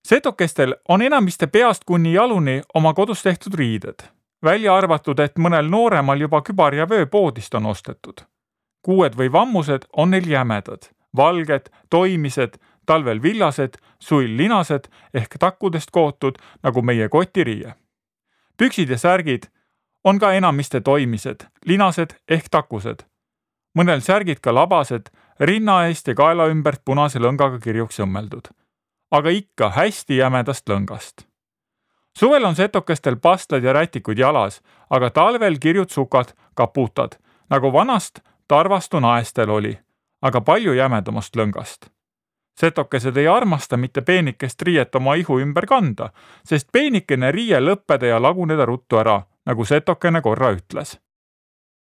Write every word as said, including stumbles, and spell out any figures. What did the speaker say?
Setokestel on enamiste peast kuni jaluni oma kodus tehtud riided, välja arvatud, et mõnel nooremal juba kübar ja vöö poodist on ostetud. Kuued või vammused on neil jämedad, valged, toimised, talvel villased, suil linased ehk takkudest kootud nagu meie kotiriie. Püksid ja särgid on ka enamiste toimised, linased ehk takused. Mõnel särgid ka labased, rinna eest ja kaela ümbert punase lõngaga kirjuks õmmeldud, aga ikka hästi jämedast lõngast. Suvel on setokestel pastlad ja rätikud jalas, aga talvel kirjud sukad, kaputad, nagu vanast tarvastu naestel oli, aga palju jämedamast lõngast. Setokesed ei armasta mitte peenikest riiet oma ihu ümber kanda, sest peenikene riie lõppeda ja laguneda ruttu ära, nagu setokene korra ütles.